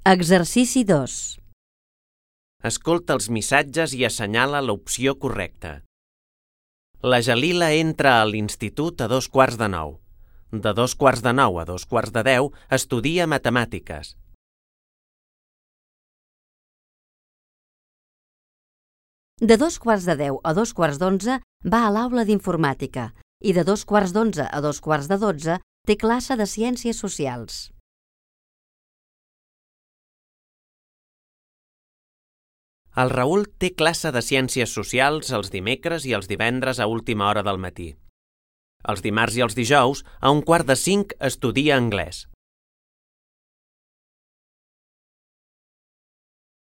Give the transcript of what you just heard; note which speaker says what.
Speaker 1: Exercici 2.
Speaker 2: Escolta els missatges i assenyala l'opció correcta. La Jalila entra a l'institut a 8:45. De 8:45 a 9:45 estudia matemàtiques.
Speaker 1: De 9:45 a 9:45 va a l'aula d'informàtica i de 9:45 a 11:45 té classe de ciències socials.
Speaker 2: El Raül té classe de ciències socials els dimecres i els divendres a última hora del matí. Els dimarts i els dijous, a 4:45, estudia anglès.